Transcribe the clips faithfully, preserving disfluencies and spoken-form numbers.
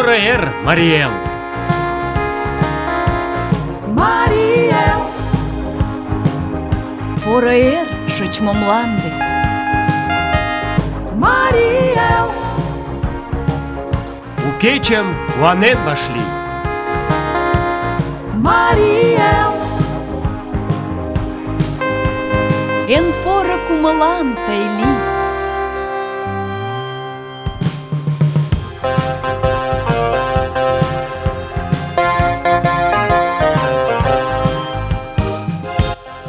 Поро эр, Марий Эл! Марий Эл! Поро эр, шочмо мланде! Марий Эл! У кечым куанен вашлий! Марий Эл! Эн поро кумылан тый лий!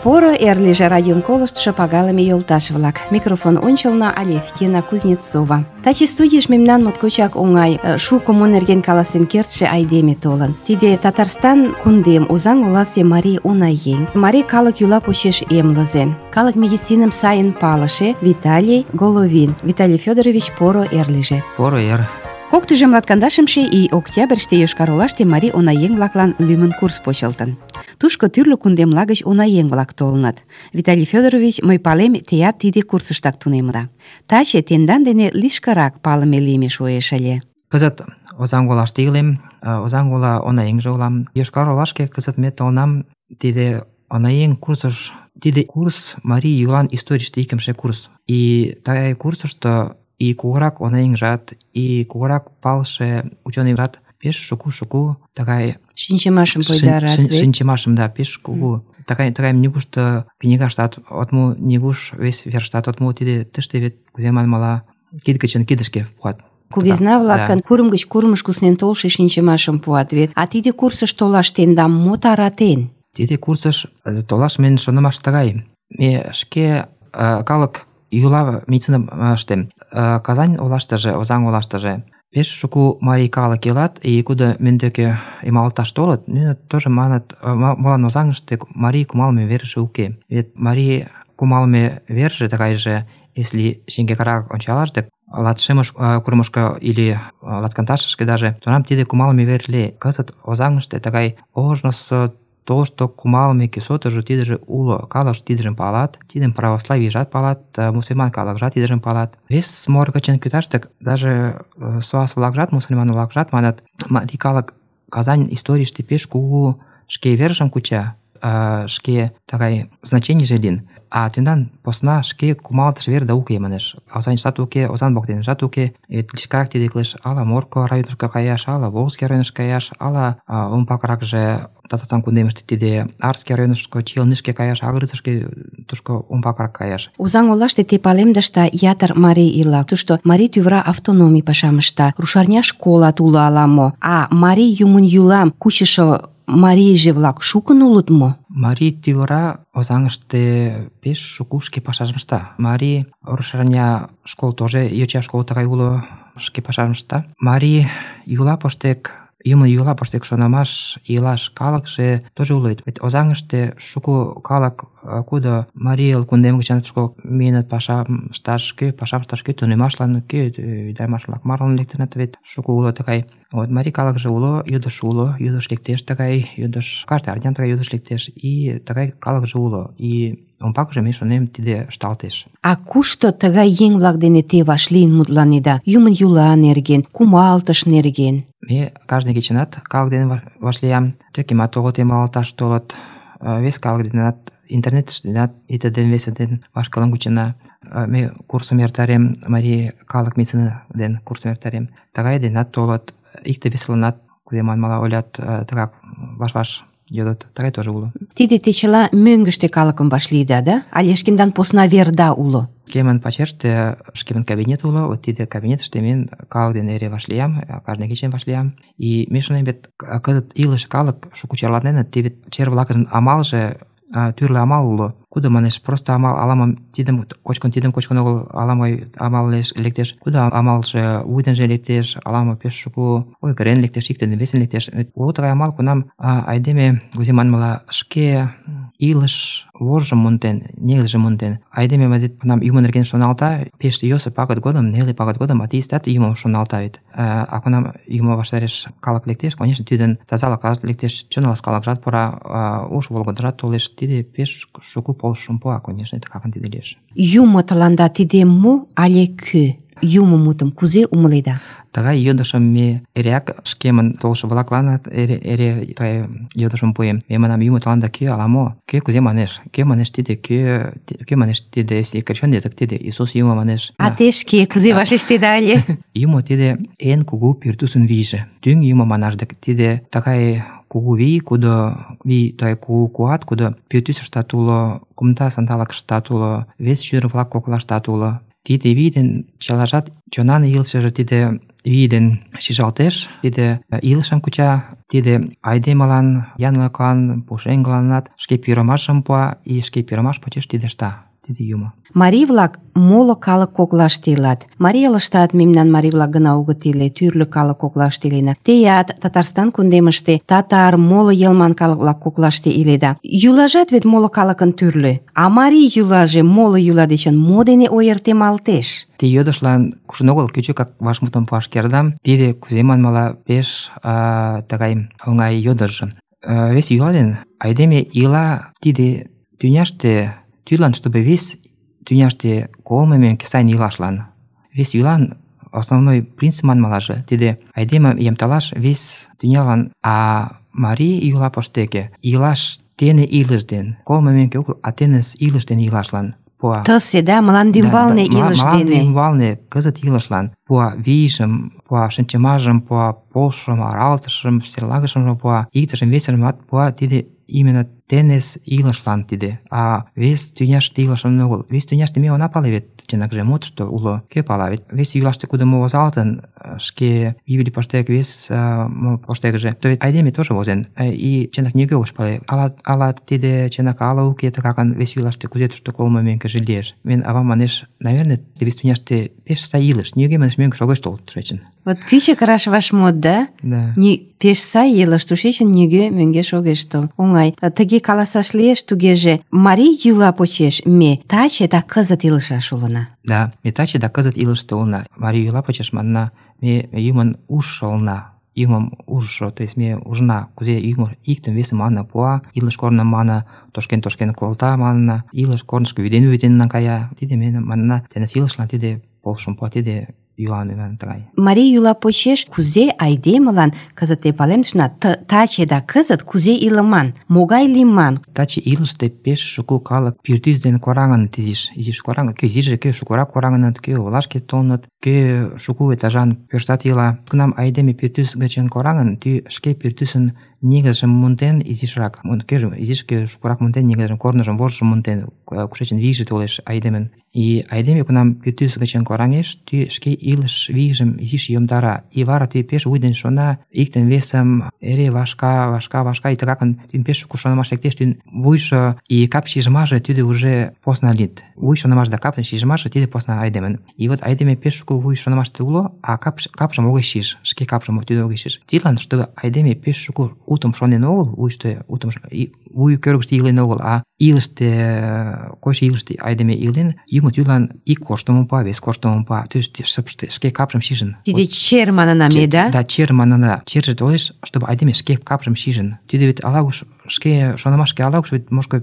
Поро эр лийже радиом колыштшо пагалыме йолташ-влак. Микрофон ончылно Алевтина Кузнецова. Таче студийыш мемнан моткочак оҥай шуко мо нерген каласен кертше айдеме толын. Тиде Татарстан кундем Озаҥ оласе марий унаеҥ, марий калык йӱла почеш эмлызе, калык медициным сайын палыше Виталий Головин. Виталий Федорович, поро эр лийже. Поро эр. Кок тӱжем латкандашымше ий октябрьыште Йошкар-Олаште марий унаеҥ-влаклан лӱмын курс почылтын. Тушко тӱрлӧ кундемла гыч унаеҥ-влак толыныт. Виталий Федорович, мый палем, теат тиде курсыштак тунемыда. Таче тендан дене лишкырак палыме лийме шуэш ыле. Кызыт Озаҥ олаште илем, Озаҥ ола унаеҥже улам. Йошкар-Олашке кызыт ме толынам тиде унаеҥ курсыш. Тиде курс марий йӱлан историйыште икымше курс. И тыгай курсышто и кугурак унаеҥжат, и кугурак палыше учёныйжат пеш шуку-шуку тыгай Шинчымашым пойдарат вет. Шинчымашым, да, пеш кугу. Тыгай тыгай нигушто книгаштат от му, нигуш вес верыштат от му. Тиде тыште вет кузе манмыла кид гычын кидышке пуат. Кугезна-влакын курым гыч курымыш куснен толшо шинчымашым пуат вет. А тиде курсыш толаш тендам мо таратен? Тиде курсыш толаш мен шонымаш тыгай. Ме шке калык йӱла медицина ыштем. Казань олаштыже, Озаҥ олаштыже пеш шуко марий калык илат, и кудо мӧн деке эмалташ толыт, нуно тоже маныт, молан Озаҥыште марий кумалме верже уке. Вет марий кумалме верже тыгайже, если шеҥгекырак ончалаш дык, латшымыш курымышко или латкандашышке даже, тунам тиде кумалме вер лие. Кызыт Озаҥыште тыгай ожнысо тошто кумалме кӱсотыжо тидыже уло. Калык тидыжым палат, тидым православийжат палат, мусульман калыкжат тидыжым палат. Вес мор гычын кӱташ дык, даже суас-влакжат, мусульман-влакжат манат, марий калык Казань историйыште пеш кугу шке вержым куча, шке тыгай значенийже лийын. А тендан посна шке кумалтыш верда уке манеш. Озаҥыштат уке, Озаҥ воктенжат уке. Вет лишкырак тиде кӱлеш ала Морко районышко каяш, ала Волжский районыш каяш, ала умбакракже Татарстан кундемыште тиде Арский районышко, Челнышке каяш, Агрыцышке тушко умбакрак каяш. Озаҥ олаште те палемдышда ятыр марий ила. Тушто марий тӱвра автономий пашам ышта. Рушарня школат уло ала-мо. А марий юмын йӱлам кучышо марийже-влак шукын улыт мо? Марий тӱвра Озаҥыште пеш шуко шке пашажым ышта. Марий рушарня школ тоже, йоча школ тыгай уло, шке пашажым ышта. Марий йӱла поштек, юмын йӱла поштек шонымаш илаш калыкше тоже уло. Вет Озаҥыште шуко калык, кудо марий эл кундем гычын тушко миеныт пашам ышташ, кӧ пашам ышташ, кӧ тунемашлан, кӧ ӱдырамаш-влак марлан лектыныт, вет шуко уло тыгай. Вот марий калыкже уло, йодыш уло, йодыш лектеш тыгай, йодыш каждый арнян тыгай йодыш лектеш, и тыгай калыкже уло. И умбакыже ме шонем, тиде ышталтеш. А кушто тыгай еҥ-влак дене те вашлийын мутланеда? Юмын йӱла нерген, кумалтыш нерген? Ме каждый кечынат калык дене вашлиям, тӧкемат огыт эмлалташ толыт, вес калык денат, интернетыштенат ите ден весе ден вашкылым кучена. Ме курсым эртарем, марий калык медицина ден курсым эртарем. Тыгай денат толыт, икте-весыланат, кузе манмыла ойлат, тыгак ваш-ваш йодыт. Тыгай тоже уло. Тиде те чыла мӧҥгыштӧ калыкым вашлийыда, да? Але шкендан посна верда уло? Шкемын пачерыште шкемын кабинет уло, вот тиде кабинетыште мен калык дене эре вашлиям, каждый кечын вашлиям. И ме шонем, вет кызыт илыше калык шуко чарладеныт, теве чер-влакын амалже тӱрлӧ амал уло. Кудо манеш, просто амал, ала-мо тидым кочкын, тидым кочкын огыл, ала-мо амал лектеш. Кудо амалже вуй денже лектеш, ала-мо пеш шуко ойгырен лектеш, икте ден весен лектеш. Уло тыгай амал, кунам айдеме, кузе манмыла, шке илыш вожым монден, негызшым монден. Айдеме мадет кунам юмо нерген шоналта, пеш йӧсӧ пагыт годым, неле пагыт годым атеистат юмым шоналта вет. А кунам юмо ваштареш калык лектеш, конечно, тидын тазалыкат лектеш, чон ласкалыкжат пура, уш волгыдырат толеш. Тиде пеш шуко полышым пуа, конечно, такакын тиде лиеш. Юмо тыланда тиде мо але кӧ? Юмо мутым кузе умыледа? тыгай йодышым ме эреак шкемын толшо-влакланат эре эре тыгай йодышым пуэм. Ме манам, Юмо тыланда кӧ ала-мо? Кӧ кузе манеш? Кӧ манеш тиде? Кӧ кӧ манеш тиде? Если крещённый, так тиде Иисус Юмо манеш. А те шке кузе вашештеда ыле? Юмо тиде эн кугу пӱртӱсын вийже. Тӱҥ Юмо манаш дык тиде тыгай кугу вий, кудо вий тыгай кугу куат, кудо пӱртӱсыштат уло, кумда сандалыкыштат уло, вес шӱдыр-влак коклаштат уло. Тиде вий ден чылажат чонан илышыже тиде вий ден шижалтеш, тиде илышым куча, тиде айдемылан, янлыклан, пушеҥгыланат шке пӱрымашым пуа, и шке пӱрымаш почеш тиде ышта. Тиде Юмо. Марий-влак моло калык коклаште илат. Марий элыштат мемнан марий-влак гына огыт иле, тӱрлӧ калык коклаште илена. Теат Татарстан кундемыште татар, моло йылман калык-влак коклаште иледа. Йӱлажат вет моло калыкын тӱрлӧ. А марий йӱлаже моло йӱла дечын мо дене ойыртемалтеш? Ти йодышлан кужун огыл кӱчыкак вашмутым пуаш кертам. Тиде кузе манмыла пеш а, тыгай оҥай йодыш. А, вес йӱла ден айдеме ила тиде тӱняште тӱрлан, чтобы вес тӱняште колмо мӧҥгӧ сайын илашлан. Вес йӱлан основной принцип манмылаже тиде айдемым ямтылаш вес тӱнялан, а марий йӱла поштеке илаш тене илыш ден, колмо мӧҥгӧ огыл, а тыныс илыш дене илашлан пуа. Тысе, да, мландӱмбалне илыш Мланде дене. ӱмбалне кызыт илышлан пуа вийжым, пуа шинчымажым, пуа полшым, аралтышым, серлагышым пуа, иктыжым весыжымат пуа. Тиде именно тенес илышлан тиде, а вес тӱняште илышым огыл. Вес тӱняште ме она пале вет, чынакже мо тушто уло, кӧ пала вет. Вес йӱлаште кудо мо возалтын, шке Библий поштек вес мо поштекыже, то вет айдеме тоже возен, и чынак нигӧ огеш пале, ала ала тиде чынак, ала уке, тыгакан вес йӱлаште кузе тушто колмо мӧҥгыжӧ лиеш. Мен авам манеш, наверное, вес тӱняште пеш сай илыш, нигӧ манеш мӧҥгыш огеш тол тушечын. Вот кӱчык раш вашмут, да? Да. Ни пеш сай илыш, тушечын нигӧ мӧҥгеш огеш тол. Оҥай. Тыге каласаш лиеш тугеже, марий йӱла почеш ме таче да кызыт илышаш улына. Да, ме таче да кызыт илыште улына. Марий йӱла почеш манна, ме Юмын ужшо улына. Юмым ужшо, то есть ме ужына, кузе Юмо иктым весым манна пуа, илыш корным манна тошкен-тошкен колта манна, илыш корнышко вӱден-вӱден наҥгая. Тиде ме манна, теныс илышлан тиде полшым пуа, тиде йӱлан ӱман тыгай. Марий йӱла почеш кузе айдемылан кызыт те палемдышна, таче да кызыт кузе илыман, могай лийман. Таче илыште пеш шуко калык пӱртӱс дене кораҥыныт изиш, изиш кораҥыныт. Кӧ изиже, кӧ шукырак кораҥыныт, кӧ олашке толыныт, кӧ шуко этажан пӧртат ила. Кунам айдеме пӱртӱс гычын кораҥын, тӱ шке пӱртӱсын негызшым монден изишрак, кӧжӧ изиш кӧ шукырак монден негызшым, корныжым, вожшым монден, кушечын вийже толеш айдемын. И айдеме кунам пӱртӱс гычын кораҥеш, тӱ шке илыш вийжым изиш йомдара, и вара тӱ пеш вуй дене шона, иктым весым эре вашка, вашка, вашка, и тыгакын тӱн пеш шуко шонымаш лектеш, тӱн вуйжо и кап шижмаже тиде уже посна лийыт. Вуй шонымаш да кап шижмаже тиде посна айдемын. И вот айдеме пеш шуко вуй шонымаште уло, а кап капшым огеш шиж, шке капшым тӱдӧ огеш шиж. Тидлан, чтобы айдеме пеш шуко утым шонен огыл, вуйышто утым вуй кӧргыштӧ илен огыл, а илыште, койшо илыште айдеме илен, Юмо тӱрлан ик корштымым пуа, вес корштымым пуа, то есть шыпште шке капшым шижын. Тиде чер манына ме, да? Да, чер манына. Черже толеш, чтобы айдеме шке капшым шижын. Тиде вет ала-куш шке шонымашке ала-куш вет мошко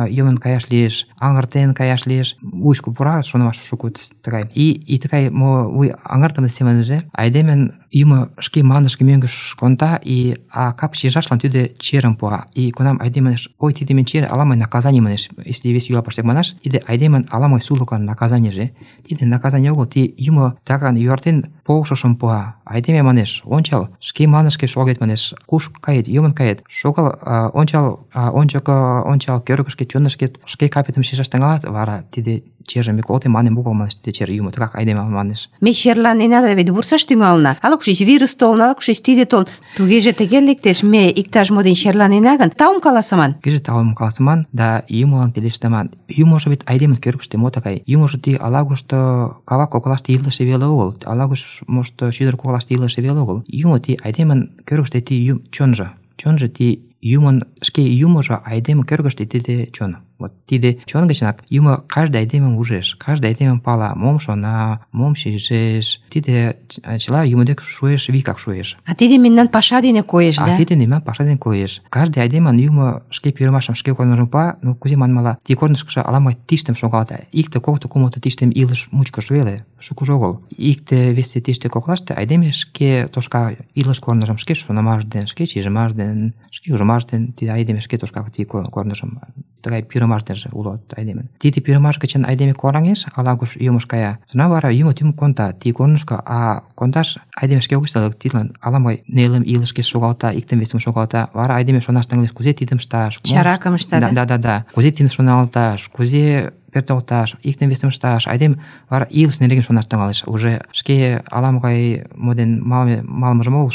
йомын каяш лиеш, аҥыртен каяш лиеш, вуйышко пура шонымаш шуко тыгай. И и тыгай мо вуй аҥыртыме семынже айдемын Юмо шке мландышке мӧҥгыш конда, и а кап шижашлан тӱдӧ черым пуа. И кунам айдеме ой, тиде мен чер ала-могай наказаний манеш, если вес йӱла поштек манаш, тиде айдемын ала-могай сулыклан наказанийже. Тиде наказаний огыл, ти Юмо таган юартен полшышым пуа. Айдеме манеш, ончал, шке мландышке шогет манеш, куш кает, йомын кает, шогал, ончал, ончыко, ончал, кӧргышкӧ, чонышкет, шке капетым шижаш тӱҥалат, вара тиде чержым Миколте манем огыл манеш, тиде чер Юмо тыгак айдеме манеш. Ме черланена да вет вурсаш тӱҥалына. Ала-кушеч вирус толын, ала-кушеч тиде толын. Тугеже тыге лектеш, ме иктаж-мо дене черланена гын, таум каласыман. Тугеже таум каласыман да Юмолан пелештыман. Юможо вет айдемын кӧргыштӧ мо тыгай? Юможо ти ала-кушто кава коклаште илыше веле огыл, ала-куш мошто шӱдыр коклаште илыше веле огыл. Юмо ти айдемын кӧргыштӧ ти чонжо, чонжо ти юмын шке юмыжо айдеме кӧргыштӧ тиде чон. Вот тиде чон гычнак юмо каждый айдемым ужеш, каждый айдемым пала, мом шона, мом шижеш. Тиде чыла юмо дек шуэш, викак шуэш. А тиде мемнан паша дене коеш, А да? тиде мемнан паша дене коеш. Каждый айдемын юмо шке пӱрымашым шке корныжым пуа, ну кузе манмыла, ти корнышкыжо ала-могай тиштым шогалта. Икте, кокто, кумло тиштым илыш мучкыш веле, шукыжо огыл. Икте, весте тиште коклаште айдеме шке тошка илыш корныжым шке шонымаш ден, шке шижимаш ден, шке ужымаш ден, тиде айдеме шке тошка ти корныжым тыгай пӱрымаш денже уло айдеме. Тиде пӱрымаш гычын айдеме кораҥеш, ала-куш юмыш кая. Тунам вара юмо тӱм конта ти корнышко, а кондаш айдеме шке огеш тылык, тидлан ала-могай нелым илышке шогалта, иктым весым шогалта. Вара айдеме шонаш тӱҥалеш, кузе тидым ышташ, Чаракым ышта, да? Да, да, да. Кузе тидым шоналташ, кузе пӧртылташ, иктым весым ышташ. Айдеме вара илыш нерген шонаш тӱҥалеш. Уже шке ала-могай мо ден малыме малымыжым огыл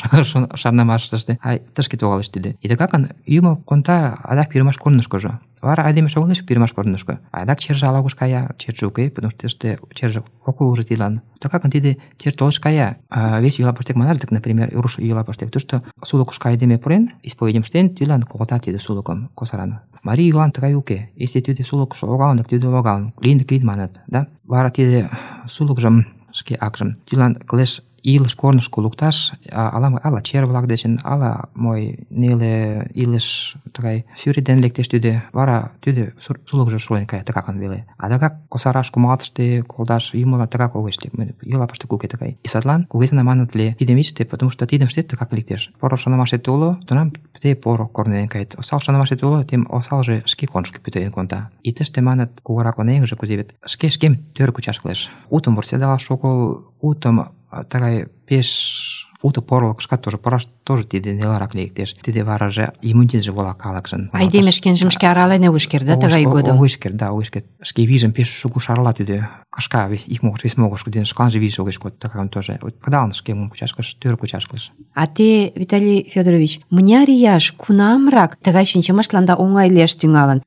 шарнымашыште, а тышке тогалеш тиде. И тыгакын юмо конта адак пӱрымаш корнышкыжо. Вара айдеме шогалеш пӱрымаш корнышко. Адак черже ала-куш кая, черже уке, потому что тыште черже ок уло уже тидлан. Тыгакын тиде чер толыш кая. А вес йӱла пыштек манаш дык, например, руш йӱла пыштек. Тушто сулыкышко айдеме пурен, исповедьым ыштен, тидлан колта тиде сулыкым косаран. Марий йӱлан тыгай уке. Если тиде сулыкыш логалын, дык тиде логалын, лийын дык лийын маныт, да? Вара тиде сулыкжым шке акжым тидлан кылеш илыш корнышко лукташ, ала ала чер-влак дечын, ала мой неле илыш тыгай сӱрет дене лектеш тиде, вара тиде сулыкжо шуэн кая тыгакын веле. А тыгак косараш кумалтыште колташ юмылан тыгак огеш лий. Йӱла пыштек уке тыгай. И садлан кугезына маныт ле тидым ичте, потому что тидым ыштет тыгак лектеш. Поро шонымашет уло, тунам те поро корно дене кает. Осал шонымашет уло, тем осалже шке корнышко пӱтырен конта. И тыште маныт кугурак онеҥже кузе вет шке шкем тӧр кучаш кӱлеш. Утым вурседалаш огыл, утым тыгай пеш уто порылыкышкат тоже пураш тоже тиде нелырак лектеш. Тиде вараже иммунитетше вола калыкшын. Айдеме шкенжым шке арален огеш керт, да, тыгай годым? Огеш керт, да, огеш керт. Шке вийжым пеш шуко шарла тиде кашка ик могырыш вес могырышко дене шканже вийже огеш код, тыгакын тоже. Кыдалын шкемым кучаш кӱлеш, тӧр кучаш кӱлеш. А те, Виталий Федорович, мыняр ияш, кунамрак тыгай шинчымаштланда оҥай лиеш тӱҥалын?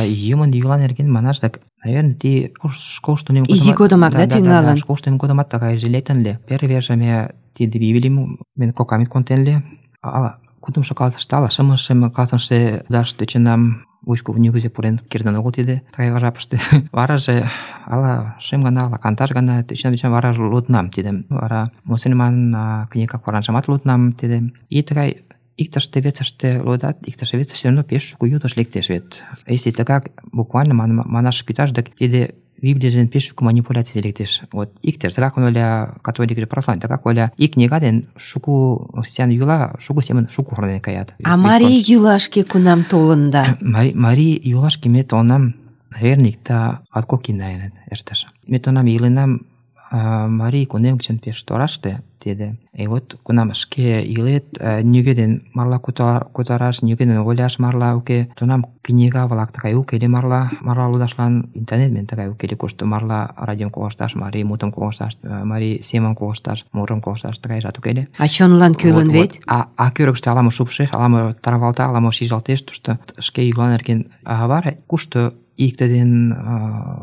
Юмын йӱла нерген манаш дак, наверное, ти школышто тунем Изи годымак, да, тӱҥалын? Школышто тунем годымат тыгайже лектын ыле. Первый верже ме тиде Библийым мен кокамет контен ыле. Ала кудымшо классыште, ала шымше классыште даш тӧчынам, вуйышко нигузе пурен кертын огыл тиде тыгай жапыште. Вараже ала шым гана, ала канташ гана тӧчен-тӧчен вараже лудынам тидым. Вара мусульман книга Коранжымат лудынам тиде. И тыгай иктыште вецыште лудат, иктыште вецыште все равно пеш шуко йодыш лектеш вет. Если тыгак буквально манаш кӱташ, дык тиде Библийжен пеш шуко манипуляций лектеш. Вот иктер тыгак оля католик православный, тыгак оля и книга ден шуко христиан йӱла шуко семын шуко корнен каят. А марий йӱлашке кунам толын да? Марий йӱлашке ме толынам, наверное, иктаж латкок ий наверное эртыш. Ме тунам иленам марий кунем гычын пеш тораште тиде. И вот кунам шке илет, нигӧ ден марла кутараш, нигӧ ден ойлаш марла уке. Тунам книга-влак тыгай уке ыле марла, марла лудашлан интернет мен тыгай уке ыле, кушто марла радиом колышташ, марий мутым колышташ, марий семым колышташ, мурым колышташ тыгайжат уке ыле. А чонлан кӱлын вет? А а кӧргыштӧ ала-мо шупшеш, ала-мо тарвалта, ала-мо шижалтеш, тушто шке йӱла нерген. А вара кушто икте ден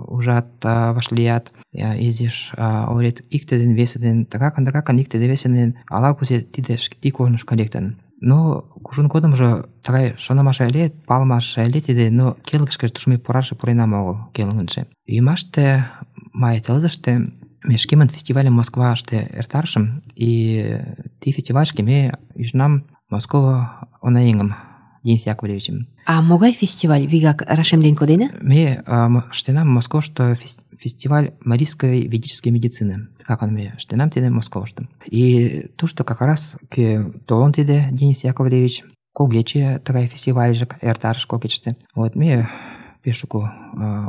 ужат, вашлият, изиш ойлет, икте ден весе ден тыгакын, тыгакын икте ден весе ден ала-кузе тиде ти корнышко лектын. Но кужун годымжо тыгай шонымаш ыле, палымаш ыле тиде, но келгышкыже тушмай пурашыже пуренам огыл келгынже. Ӱмаште май тылзыште ме шкемын фестивальым Москваште эртарышым, и ти фестивальышке ме ӱжынам Москова онеҥым Денис Яковлевичым. А могай фестиваль, вигак рашемден кодена? Ме ыштенам Москошто фестиваль марийской ведической медицины. Как он ме ыштенам тиде Москошто. И тушто как раз толын тиде Денис Яковлевич, когече тыгай фестивальжак эртарыш когечте. Вот ме пеш шуко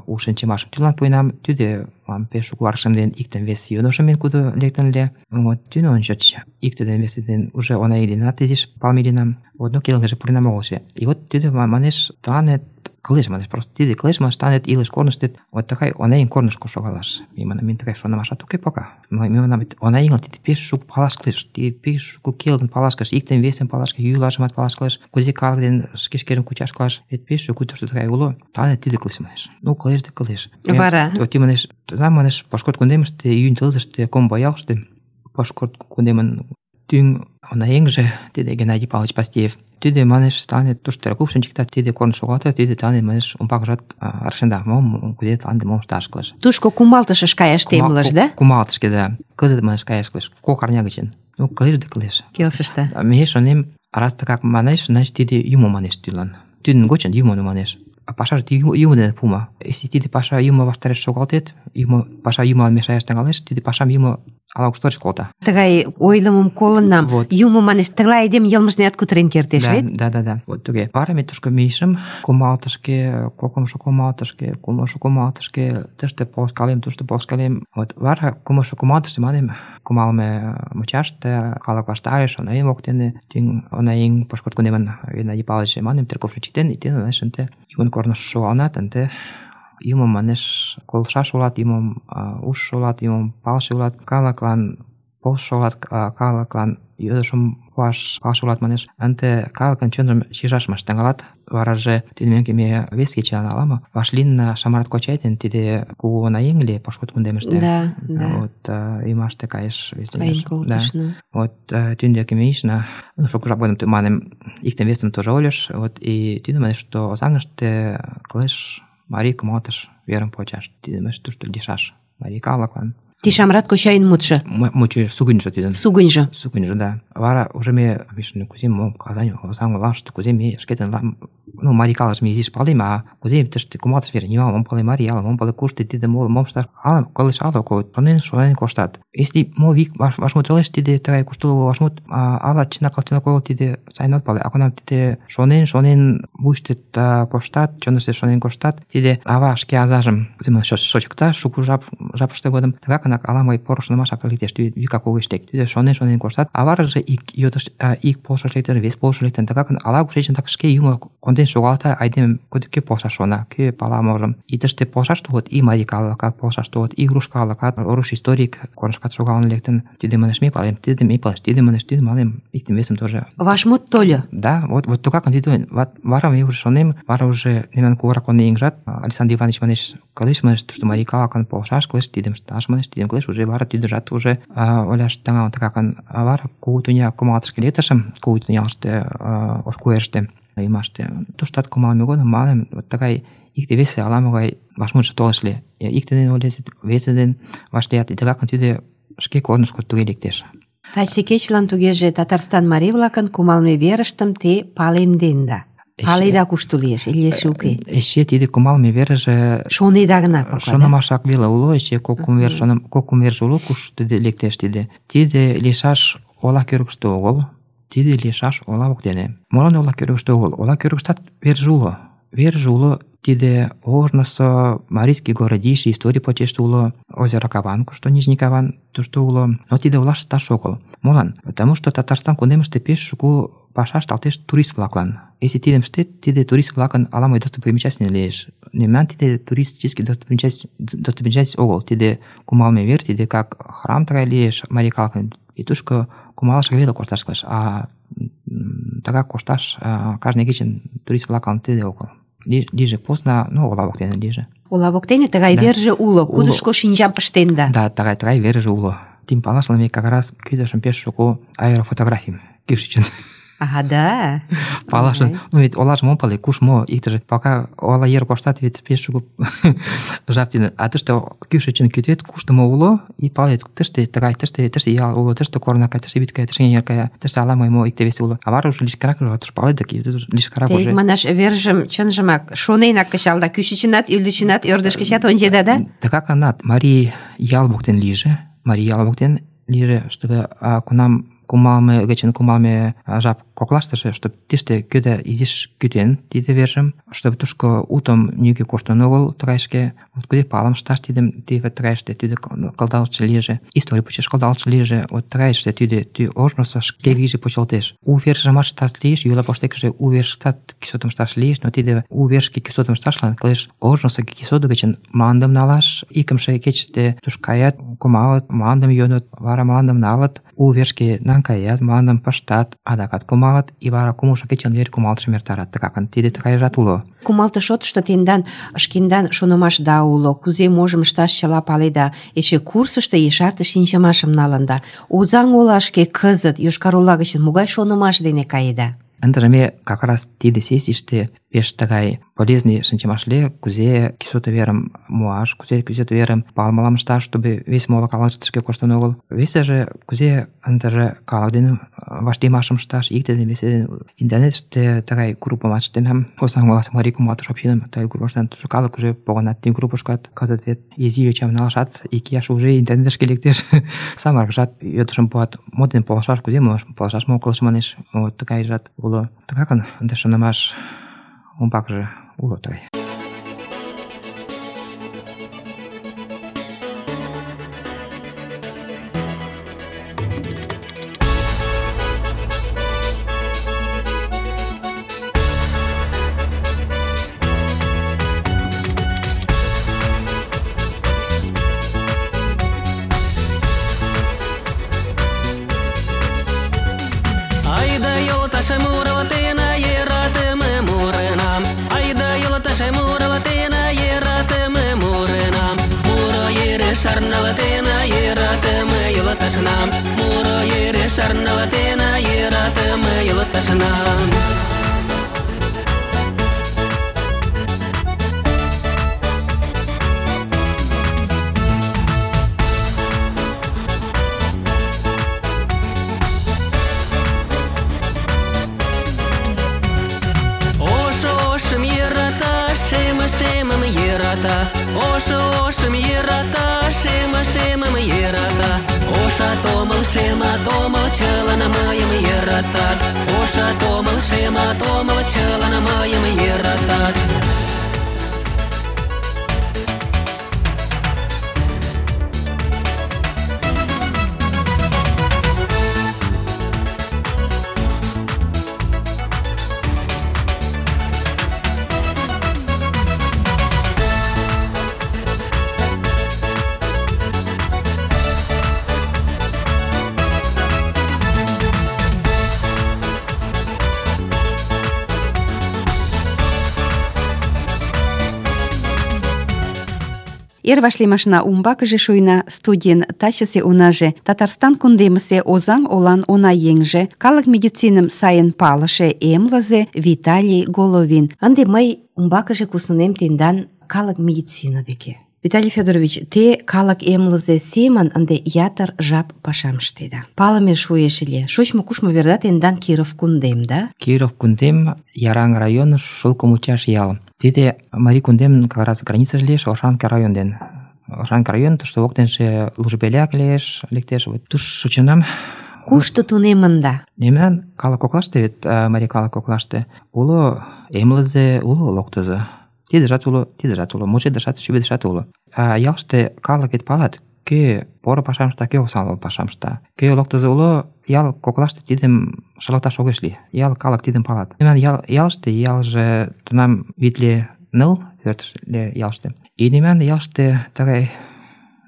у шинчымашым тӱлан пуэнам, тӱдӧ пеш шуко рашемден, иктын вес йодышым мен кудо лектын ыле. Вот тӱнӧ ончыч икте ден весе ден уже онаи денат изиш палемеденам. Вот ну келгыже пуренам огылже. И вот тӱдӧ манеш, тыланет кылеш, манеш, просто тиде кылеш, манеш, тыланет илыш корныштет вот тыгай онаиҥ корнышко шогалаш. Ме манам, мен тыгай шонымашат уке пока. Ме манам, онаиҥым тиде пеш шуко палаш кӱлеш, тиде пеш шуко келгын палаш кӱлеш, иктын весым палаш кӱлеш, йӱлашымат палаш кӱлеш, кузе калык ден шке шкерым кучаш кӱлеш. Вет пеш шуко тушто тыгай уло. Тыланет тиде кылеш, манеш. Ну, кылеш да кылеш. Вара? Вот ти манеш, тунам манеш, Пошкод кундемыште июнь тылзыште комбо ялыште Пошкод кундемын тӱҥ онаеҥже тиде Геннадий Павлович Пастеев. Тиде манеш тане тушто купшын чикта, тиде корно шогалта, тиде тане манеш умбакыжат рашенда, мом кузе тыланде мом ышташ кылеш. Тушко кумалтышыш каяш темлыш, да? Кумалтышке, да. Кызыт манеш каяш кылеш. Кок арня гычын. Ну, кылеш да кылеш. Келшышта. Ме шонем, раз тыгак манеш, значит тиде юмо манеш тӱлан. Тӱдын гочын юмо манеш. А пашаже юмо дене пума. Если тиде паша юмо ваштареш шогалтет, юмо паша юмылан мешаяш тӱҥалеш, тиде пашам юмо ала-куштырыш колта. Тыгай ойлымым колынам. Вот. Юмо манеш, тыглай айдем йылмыжнеат кутырен кертеш, Да, вет? да, да, да. Вот туге. Вара ме тушко мийышым, кумалтышке, кокымшо кумалтышке, кумлымшо кумалтышке, тыште полышкалем, тушто полышкалем. Вот вара кумлымшо кумалтыште манем, кумалме мучаште, калык ваштареш, онаеҥ воктене, тӱҥ онаеҥ пошкырт кунемын Геннадий Павлович манем, церковшо читен, итен, манеш, ынте юмын корныш шогалынат, ынте юмым манеш колышаш улат, юмым ужшо улат, юмым палыше улат, калыклан полшо улат, калыклан йодышым пуаш палыше улат, манеш, ынте калыкын чонжым шижашмаш тӱҥалат. Вараже тиде меҥге ме вес кечан ала-мо вашлийын Шамрат кочай ден тиде кугу онаеҥ ыле пошкудо кундемыште. Да, да. Вот ӱмаште кайыш вес Каен тӱняш. колтышна. Вот тӱнdeке мийышна, ну, шуко жап годым манем, иктым-весым тоже ойлыш, вот, и тӱдӧ манеш, что Озаҥыште кылеш марий кумалтыш верым почаш. Тиде манеш тушто лийшаш марий калыклан. Ти Шамрат кочайын мутшо, Мучо сугыньжо тидын. сугыньжо. Сугыньжо, да. Вара уже ме вишне кузе мом Казань Озаҥ олаште, кузе ме шкетын, ну, марий калыкшым изиш палем, а кузе тыште кумалтыш вер, нимом ом пале марий ала, мом пале кушто тиде моло, мом ышташ, ала колеш ала ко, шонен шонен коштат. Если мо вик вашмут ойлеш, тиде тыгай куштылго вашмут, ала чынак чынак ойло, тиде сайын от пале, а кунам тиде шонен шонен вуйыштет коштат, чоныште шонен коштат, тиде ава шке азажым кузе шочыкта шуко жап жапыште годым, тыгакынак ала-могай поро шонымашак лектеш, викак огеш лек. Тиде шонен шонен коштат, а вараже ик йодыш, ик полшыш лектеш, вес полшыш лектен, тыгакын ала кушечын так шке юмо конден шогалта, айдеме кӧ полшаш шона, кӧ пала можым. И тыште полшаш толыт, и марий калыкат полшаш толыт, и руш калыкат, руш историк корнышкат шогалын лектын. Тиде манеш ме палем, тиде ме палеш, тиде манеш, тиде малем, иктым весым тоже. Вашмут тольо. Да, вот вот тыгакын тиде вара ме уже шонем, вара уже мемнан кугурак онаеҥжат, Александр Иванович манеш, кылеш манеш, тушто марий калыкын полшаш кылеш, тидым ышташ манеш, тидым кылеш, уже вара тӱдыжат уже ойлаш тӱҥалын тыгакын. Вара кугу тӱня кумалтышке лектышым, кугу тӱнялыште, ош куэрыште, ӱмаште. Туштат кумалме годым малем, вот тыгай икте-весе ала-могай вашмутшо толеш ыле. Икте дене ойлет, весе дене вашлият, и тыгакын тиде шке корнышко туге лектеш. Таче кечылан тугеже Татарстан марий-влакын кумалме верыштым те палемденда. Паледа кушто лиеш, или эше уке? Эше тиде кумалме верже Шонеда гына пока, да? шонымашак веле уло, эше кок-кум вер шоным, кок-кум верже уло, кушто лектеш тиде. Тиде лийшаш ола кӧргыштӧ огыл, тиде лийшаш ола воктене. Молан ола кӧргыштӧ огыл? Ола кӧргыштат верже уло. Верже уло тиде ожнысо марийский городище, историй почеште уло, озеро Каван, кушто Нижний Каван, тушто уло. Но тиде олаште таш огыл. Молан? Потому что Татарстан кундемыште пеш шуко паша ышталтеш турист-влаклан. Если тидым ыштет, тиде турист-влакын ала-могай достопримечательный лиеш. Мемнан тиде туристический достопримечательность огыл. Тиде кумалме вер, тиде как храм тыгай лиеш марий калыкын. И тушко кумалашак веле кошташ кылеш, а тыгак кошташ кажне кечын турист-влаклан тиде огыл. Лиже поздно, ну, ола воктене лиже. Ола воктене тыгай Да. верже уло, кудышко шинчам пыштенда. Да, тыгай тыгай верже уло. Тим палашлан ме как раз кӱдышым пеш шуко аэрофотографийым кӱшычын А, да? палашын. Ага. Ну, ведь олажым ом пале, куш мо, иктыже пока ола ер коштат, ведь пеш шуко жап тидын. А тыште кӱшычын кӱтет, кушто мо уло, и палет, тыште тыгай, тыште тыште ял уло, тыште корно кая, тыште вӱд кая, тыште эҥер кая, тыште ала-могай мо икте-весе уло. А вара уже лишкырак туш палет, дык лишкырак Те уже. манаш вержым чынжымак шоненак кычалда, кӱшычынат, ӱлычынат, ӧрдыжкычат ончеда, да? Тыгакынат марий ял воктен лийже, марий ял воктен лийже, чтобы а, кунам кумалме гычын кумалме жап коклаштыже, чтобы тиште кӧдӧ изиш кӱтен тиде вержым, чтобы тушко утым нигӧ коштын огыл тыгайышке, вот кузе палым ышташ тидым тиде тыгайыште тӱдӧ кылдалтше лийже, историй почеш кылдалтше лийже, вот тыгайыште тӱдӧ тӱ ожнысо шке вийже почылтеш. У вержымат ышташ лиеш, йӱла поштекыже у вершыштат кӱсотым ышташ лиеш, но тиде у вершке кӱсотым ышташлан кылеш ожнысо кӱсото гычын мландым налаш, икымше кечыште туш каят, кумалыт, мландым йодыт, вара мландым налыт, у вершке Шарнан каят, мландым пыштат, адакат кумалыт, и вара кумылшо кечын вер кумалтышым эртарат. Тыгакын тиде тыгайжат уло. Кумалтыш шотышто тендан шкендан шонымашда уло, кузе можым ышташ чыла паледа, эше курсышто ешарте шинчымашым налында. Озаҥ олашке кызыт Йошкар-Ола гычын могай шонымаш дене каеда? Ындыже ме как раз тиде сессийыште пеш тыгай полезный шинчымаш лие, кузе кӱсото верым муаш, кузе кӱсото верым палымылам ышташ, чтобы вес моло калыкше тышке коштын огыл. Весыже кузе ындыже калык дене вашлиймашым ышташ, икте дене весе дене. Интернетыште тыгай группым ачыктенам, Озаҥ оласе марий кумалтыш общиным, тыгай группаштан тушто калык уже погынат тиде группышкат. Кызыт вет изи йочам налашат икияш уже интернетышке лектеш. Самырыкшат йодышым пуат, мо дене полышаш, кузе полышаш, мо кылыш манеш. Вот тыгайжат уло. Тыгакын ынде шонымаш умбакыже уло тыгай. Sarnalatena yeratema yelatasnam Muro yere sarnalatena yeratema yelatasnam Оша ошым ерата, шема шемым ерата. Оша томыл, шема томыл, чылын мыйым ератат. Оша томыл, шема томыл, чылын мыйым ератат. Эр вашлиймашна умбакыже шуйна студийын тачысе унаже, Татарстан кундемысе Озаҥ олан уна еҥже, калык медициным сайын палыше эмлызе Виталий Головин. Ынде мый умбакыже куснынем тендан калык медицина деке. Виталий Федорович, те калык эмлызе семын ынде ятыр жап пашам ыштеда. Палыме шуэш ыле. Шочмо-кушмо верда тендан Киров кундем, да? Киров кундем, Яраҥ район, Шолкомучаш ял. Тиде Марий кундем как раз граница лиеш Оршанка район ден. Оршанка район, тушто воктенже Лужбеляк лиеш, лектеш. Туш шочынам. Кушто тунемында? Мемнан калык коклаште вет, марий калык коклаште, уло эмлызе, уло локтызо. Тидыжат уло, тидыжат уло, мужедышат, шӱведышат уло. А ялыште калык вет палат, кӧ поро пашам ышта, кӧ осал пашам ышта. Кӧ локтызо уло, ял коклаште тидым шылташ огеш лий. Ял калык тидым палат. Мемнан ял, ялыште, ялже тунам витле ныл пӧртыштӧ ялыште. И мемнан ялыште тыгай,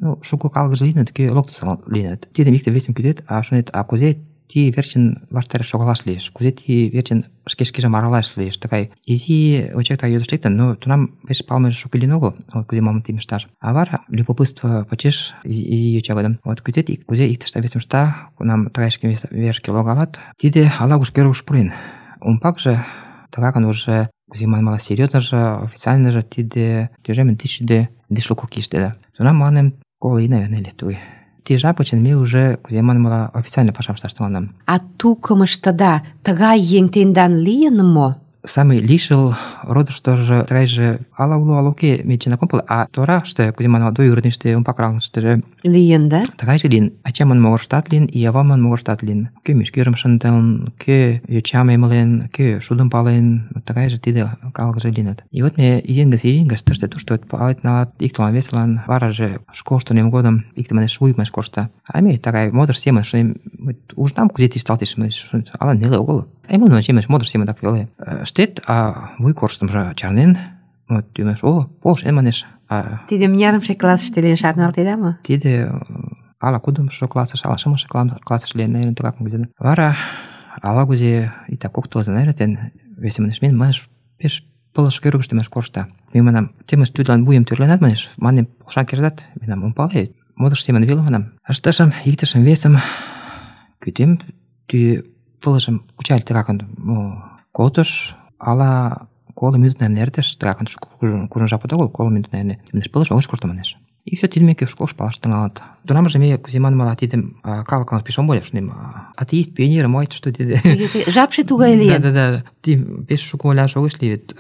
ну, шуко калыкже лийыныт, кӧ локтызо лийыныт. Тидым икте весым кӱдет, а шонет, а кузе ти верчын ваштареш шогалаш лиеш, кузе ти верчын шке шкежым аралаш лиеш. Тыгай изи очекта йодыш лектын, но тунам пеш палыме шуко лийын огыл, вот кузе мом тим ышташ. А вара любопытство почеш изи йоча годым. Вот кӱдет, кузе иктышта весым ышта, кунам тыгай шке верышке логалат, тиде ала-куш кӧргыш пурен. Умбакыже тыгакын уже кузе манмыла серьёзныжо, официальныжо тиде тӱжем тысячде дышло кокиштеда. Тунам мыланем коло ий, наверное, лет тугай. Ти жап гычын ме уже, кузе манмыла, официально пашам ышташ тӱҥалынам. А тукымыштыда тыгай еҥ тендан лийын мо? Самый лишыл родыштыжо тыгайже ала уло, ала уке, ме чынак ом пале, а тораште, кузе манмыла, двоюродныйыште, умбакракыштыже лийын, да? Тыгайже лийын. Ачамын могырыштат лийын, и авамын могырыштат лийын. Кӧ мӱшкырым шындылын, кӧ йочам эмлен, кӧ шудым пален, тыгайже тиде калыкже лийыныт. И вот ме изин гыч изин гыч тыште-тушто палет налат, иктылан весылан, вараже школышто тунем годым икте манеш вуйымеш коршта. А ме тыгай модыш семын шонем, ужынам, кузе тӱслалтеш, ала неле огыл. Эмлен ончемеш, модыш семын так веле. Штет, а вуй корштымжо чарнен, вот тӱмеш, о, полшен манеш. Тиде мынярымше классыште лийын шарналтеда мо? Тиде ала кудымшо классыш, ала шымше классыш лийын, наверное, тыгак где-то. Вара ала-кузе итак кок тылзе, наверное, весе манеш, мен манеш пеш пылыш кӧргыштӧ манеш коршта. Ме манам, темыш тӱрлан вуйым тӱрленат, манеш, манем, полшан кертат, менам ом пале, модыш семын веле манам. Ыштышым, иктышым, весым, кӱтем, тӱ пылышым кучале тыгакын колтыш, ала коло минут, наверное, эртыш, тыгакын кужун жапат огыл, коло минут, наверное, манеш, пылыш огеш коршто, манеш. И все тидымеке школыш палаш тыҥалыт. Тунамже ме кузе манмыла тидым калыклан пеш ом ойло, шонем, атеист, пионер, мо айт, что тиде. Жапше тугай лийын. Да-да-да, ти пеш шуко ойлаш огеш лий вет.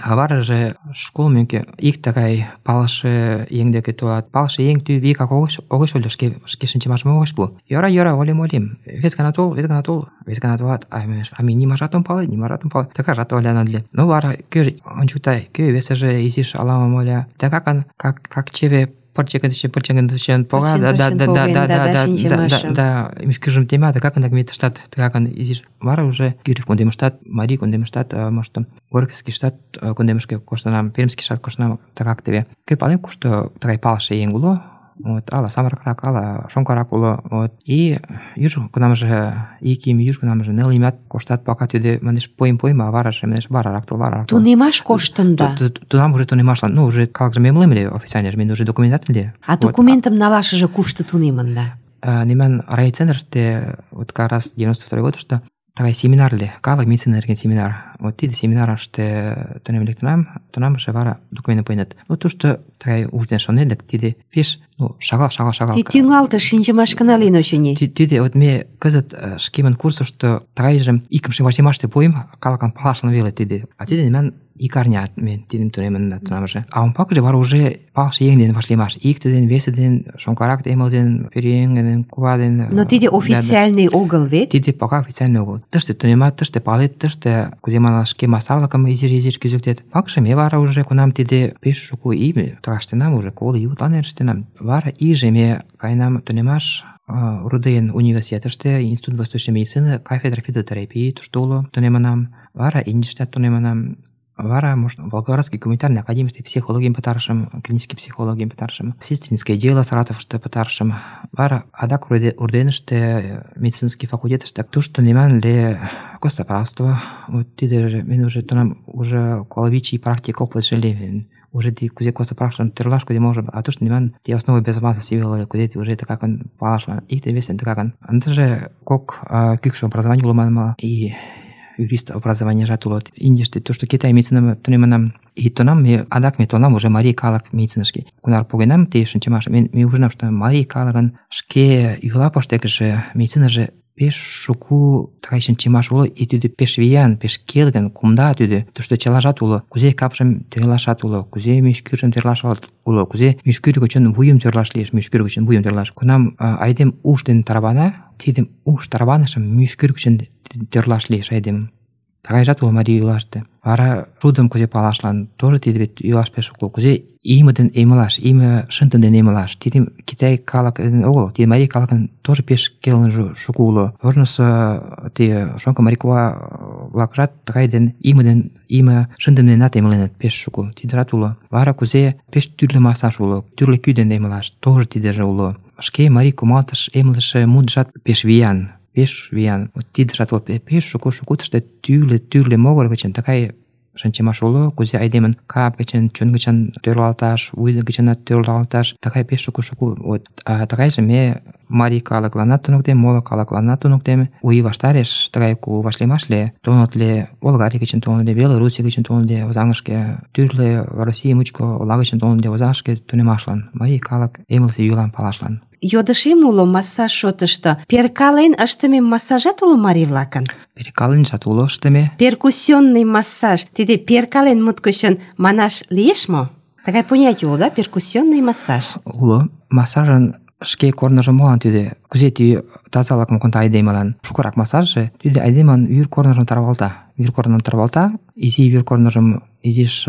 А вараже школ меке ик тыгай палыше еҥ деке толат. Палыше еҥ тӱ вигак огеш огеш ойло, шке шке шинчымашым огеш пу. Йӧра, йӧра, олем, олем. Вес гана тол, вес гана тол, вес гана толат. А манеш, а ме нимажат ом пале, нимажат ом пале. Тыгажат ойланат ыле. Ну вара кӧ ончыкта, кӧ весыже изиш ала-мом ойла. Тыгакын, как как чеве пырчыгын тычен, пырчыгын тычен пога, да да да да да да да да мӱшкыржым тема, да как ме тыштат тыгакын изиш. Вара уже Гирев кундемыштат, Марий кундемыштат, может, Горькийскийштат кундемышке коштынам, Пермскийшат коштынам, тыгак теве. Кӧ палем, кушто тыгай палыше еҥ уло, вот, ала самырыкрак, ала шоҥгырак уло, вот, и юж кунамже ик ий, юж кунамже ныл иймат коштат, пока тиде, манеш, пойым пойым, а вараже, манеш, варарак тол, варарак тол. Тунемаш коштында. Тунам уже тунемашлан, ну, уже калыкже мемлем ыле, официальныже, мен уже документат ыле. А документым налашыже кушто тунемында? Неман райцентрыште, вот как раз девяносто второй годышто, тыгай семинар ыле, калык медицина нерген семинар. Вот тиде семинарыште тунем лектынам, тунамже вара документым пуэныт. Вот тушто тыгай ужден шонедык, тиде пеш, ну, шагал, шагал, шагал. Ти тӱҥалтыш шинчымашкына лийын, очыни. Тиде вот ме кызыт шкемын курсышто тыгайжым икымше вачемаште пуэм, калыклан палашлан веле тиде. А тиде неман ик арня мен тидым тунемынна тунамже. А умбакыже вара уже палыше еҥ дене вашлиймаш. Икте ден, весе ден, шоҥгырак эмыл ден, пӧръеҥ ден, кува ден. Но тиде официальный огыл вет? Тиде пока официальный огыл. Тыште тунемат, тыште палет, тыште кузе манаш шке мастарлыкым изиш-изиш кӱзыктет. Пакше ме вара уже кунам тиде пеш шуко ий тыгаштенам, уже коло ий утлан эрыштенам. Вара ийже ме каенам тунемаш Руден университетыште, Институт восточной медицины, кафедра фитотерапии тушто уло тунемынам. Вара Индиштат тунемынам. Вара, может, Волгоградский гуманитарный академийский психологиям пытарышым, клинический психологиям пытарышым, сестринское дело Саратовыште пытарышым. Вара адак Урденыште, медицинский факультетыште тушто неман ле костоправство. Вот тиде мен уже тунам уже коловичий практик опыт жили. Уже ти кузе костоправством тырлаш, кузе можем, а тушто неман ти основы безопасности вела, кузе ти уже так он палашлан. И ти весен так он. Андже кок кӱкшӧ образование уло манма и юрист образование жатуло. Индиште то, что Китай медицина тунемынам. И тунам ме адак ме тунам уже Марий калык медицинышке. Кунар погенам те шинчымаш. Мен ме ужынам, что Марий калыкын шке юла поштекыже медицинаже пеш шуку тыгай шинчымаш уло, и тиде пеш виян, пеш келгын, кумда тиде. То, что чылажат уло, кузе капшым тӧрлашат уло, кузе мӱшкӱржым тӧрлашат уло, кузе мӱшкӱр гычын вуйым тӧрлаш лиеш, мӱшкӱр гычын вуйым тӧрлаш. Кунам айдем уш дене тарвана, тидым уш тарванышым мӱшкӱр гычын тӧрлаш лиеш айдемым. Тыгайжат уло Марий юлаште. Вара шудым кузе палашлан тоже тиде вет юлаш пеш шуко. Кузе име ден эмылаш, име шынтым ден эмылаш. Тиде Китай калык огыл, тиде Марий калыкын тоже пеш келын шуко уло. Ожнысо те шоҥго марий кува-влакжат тыгай ден име ден име шындым денат эмыленыт пеш шуко. Тидыжат уло. Вара кузе пеш тӱрлӧ массаж уло, тӱрлӧ кӱ дене эмылаш, тоже тидыже уло. Шке Марий кумалтыш эмлыше мутшат пеш виян. Пеш виян. Вот тидыжат вот пеш шуко-шуко тыште тӱрлӧ-тӱрлӧ могыр гычын тыгай шинчымаш уло, кузе айдемын кап гычын, чон гычын тӧрлалташ, вуй гычынат тӧрлалташ, тыгай пеш шуко-шуко. Вот. А тыгайже ме Марий калыкланат туныктем, моло калыкланат туныктем. У ий ваштареш тыгай ку вашлиймашле тонытле Болгарий гычын тонытле, Белоруссий гычын тонытле озаҥышке, тӱрлӧ Россий мучко ола гычын тонытле озаҥышке тунемашлан, Марий калык эмлысе йӱлам палашлан. Йодышем уло массаж шотышто. Перкален ыштыме массажат уло марий-влакын? Перкаленжат уло ыштыме. Перкуссионный массаж. Тиде перкален мут гычын манаш лиеш мо? Тыгай понятие уло, да? Перкуссионный массаж. Уло. Массажын шке корныжо молан тиде? Кузе ти тазалыкым конта айдемылан? Шукырак массажже тиде айдемын вӱр корныжым тарвалта. Вӱр корным тарвалта, изи вӱр корныжым изиш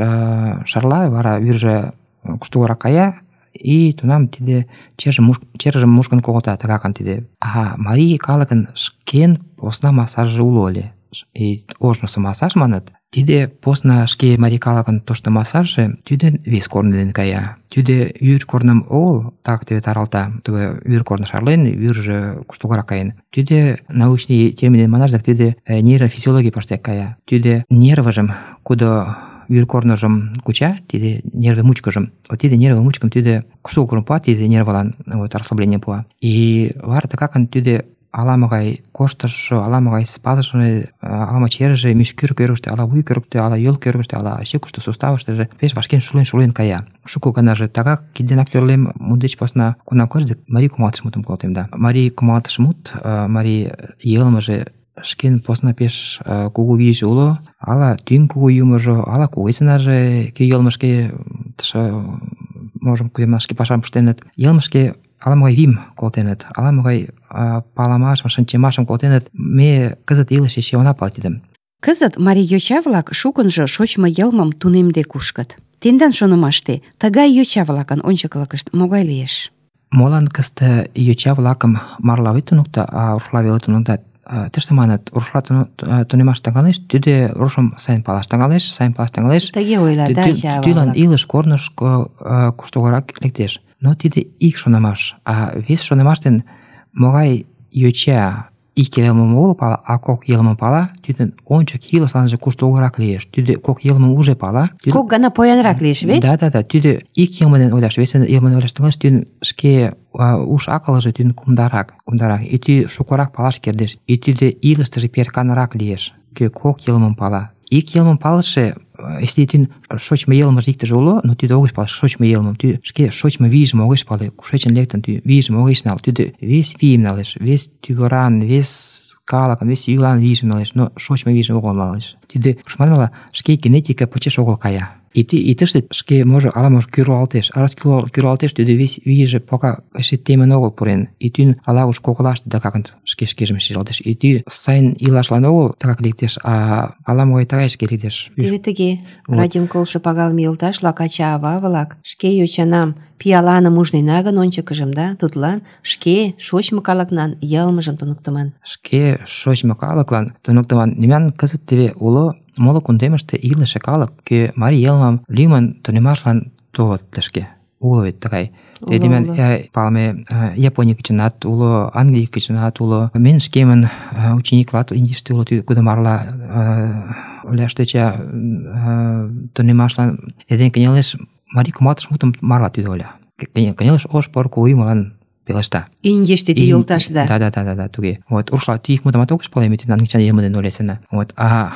шарла, вара вӱржӧ куштылгырак кая, и тунам тиде чержым муш, мушкын колта, тыгакын тиде. А Марий калыкын шкен посна массажже уло ыле. и ожнысо массаж маныт. Тиде посна шке марий калыкын тошто массажше тӱдӧ вес корно дене кая. Тӱдӧ вӱр корным огыл так тӱвӧ таралта, тӱвӧ вӱр корно шарлен, вӱржӧ куштылгырак каен. Тӱдӧ научный термин дене манаш, тӱдӧ нейрофизиологий паштек кая. Тӱдӧ нервыжым, кудо вӱр корныжым куча, тиде нерве мучкыжым. Вот тиде нерве мучкым тӱдӧ куштылгырым пуа, тиде нервылан вот расслабление пуа. И вара тыгакын тӱдӧ ала-могай коштышо, ала-могай спазмже, ала черже, мӱшкыр кӧргыштӧ, ала вуй кӧргыштӧ, ала йол кӧргыштӧ, ала щекыште, суставыштыже пеш вашкен шулен-шулен кая. Шуко ганаже тыгак кид денак тӧрлем, мут деч посна кунам кырдык марий кумалтыш мутым колтем да. Марий кумалтыш мут, марий йылмыже шкен посна пеш кугу вийже уло, ала тӱҥ кугу юмыжо, ала кугезынаже кӧ йылмышке тыше можым кузе манаш, шке пашам ыштеныт, йылмышке ала-могай вийым колтеныт, ала-могай паламашым, шинчымашым колтеныт. Ме кызыт илыше эше она пале тидым. Кызыт марий йоча-влак шукынжо шочмо йылмым тунемде кушкыт. Тендан шонымаште тыгай йоча-влакын ончыклыкышт могай лиеш? Молан кызыт йоча-влакым марла ит туныкто, а рушла веле туныктат? Тыште маныт, рушла тунемаш тӱҥалеш, тӱдӧ рушым сайын палаш тӱҥалеш, сайын палаш тӱҥалеш. Тыге ойлат, да, ача-ава-влак. Тӱлан илыш корнышко куштылгырак лектеш. Но тиде ик шонымаш, а вес шонымаш ден могай йоча ик йылмым огыл пала, а кок йылмым пала, тӱдын ончык илышланже куштылгырак лиеш. Тӱдӧ кок йылмым уже пала. Кок гана поянрак лиеш вет? Да, да, да. Тӱдӧ ик йылме дене ойлаш, вес йылме дене ойлаш тӱҥалеш, тӱдын шке уш-акылже тӱдын кумдарак, кумдарак. И тӱдӧ шукырак палаш кертеш. И тӱдӧ илыштыже перканрак лиеш. Кӧ кок йылмым пала. Ик йылмым палыше, если тӱдын шочмо йылмыже иктыже уло, но тӱдӧ огеш пале шочмо йылмым, тӱдӧ шке шочмо вийжым огеш пале, кушечын лектын, тӱдӧ вийжым огеш нал, тӱдӧ вес вийым налеш, вес тӱвыран, вес калыкын, вес йӱлан вийжым налеш, но шочмо вийжым огыл налеш. Тӱдӧ, манмыла, шке генетика почеш огыл кая. И тыште шке можо ала-можо кӱрлалтеш, а раз кӱрлалтеш, тӱдӧ вес вийже пока эше темын огыл пурен. И тӱн ала-куш коклаште тыгакын шке шкежым шижалтеш. И тӱ сайын илашлан огыл тыгак лектеш, а ала-могай тыгай шке лектеш. Теве тыге, радиом колышо пагалыме йолташ-влак, ача-ава-влак, шке йочанам пиаланым ужнена гын ончыкыжым, да, тудлан шке шочмо калыкнан йылмыжым туныктыман. Шке шочмо калыклан туныктыман. Мемнан кызыт теве уло моло кундемыште илыше калык, кӧ марий йылмым лӱмын тунемашлан толыт тышке. Уло вет тыгай. Теве мемнан палыме Японий гычынат уло, Англий гычынат уло. Мен шкемын ученик-влак Индийыште улыт, кудо марла ойлаш тӧча тунемашлан эрден кынелеш, марий кумалтыш мутым марла тӱдӧ ойла. Кынелеш, ош пор кугу юмылан пелешта. Индийыште тӱ йолташда. Да, да, да, да, да, туге. Вот рушла тӱ ик мутымат огеш пале, ме тӱдын англичан йылме дене ойлесына. Вот, а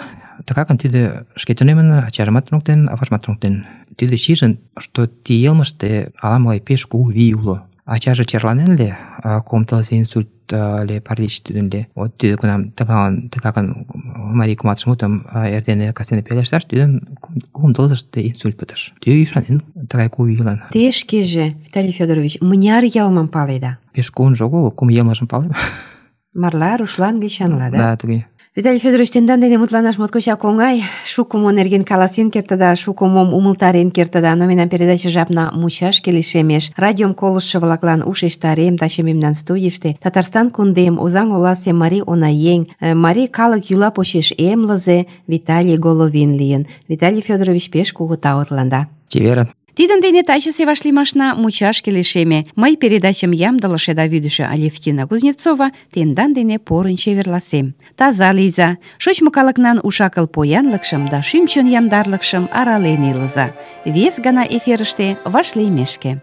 тыгакын тӱдӧ шке тунемын, ачажымат туныктен, аважымат туныктен. Тӱдӧ шижын, что ти йылмыште ала-могай пеш кугу вий уло. Ачаже черланен ыле, кум тылзе инсульт ле паралич тӱдын ле. Вот тӱдӧ кунам тыгакын, тыгакын марий кумалтыш мутым эрдене кастене пелешташ, тӱдын кум тылзыште инсульт пытыш. Тӱдӧ ӱшанен тыгай кугу вийлан. Те шкеже, Виталий Федорович, мыняр йылмым паледа? Пеш кугунжо огыл, кум йылмыжым палем. Марла, рушла, англичанла, да? Да, туге. Виталий Федорович, тендан дене мутланаш моткочак оҥай, шуко мо нерген каласен кертыда, шуко мом умылтарен кертыда, но мемнан передача жапна мучашке лишемеш. Радиом колыштшо-влаклан ушештарем, таче мемнан студийыште Татарстан кундем Озаҥ оласе марий онаеҥ, марий калык йӱла почеш эмлызе Виталий Головин лийын. Виталий Федорович, пеш кугу тау тыланда. Чеверын. Тидын дене тачысе вашлиймашна мучашке лишеме. Мый передачым ямдылыше да вӱдышӧ Алевтина Кузнецова тендан дене порын чеверласем. Таза лийза, шочмо калыкнан уш-акыл поянлыкшым да шӱм-чон яндарлыкшым арален илыза. Вес гана эфирыште вашлиймешке.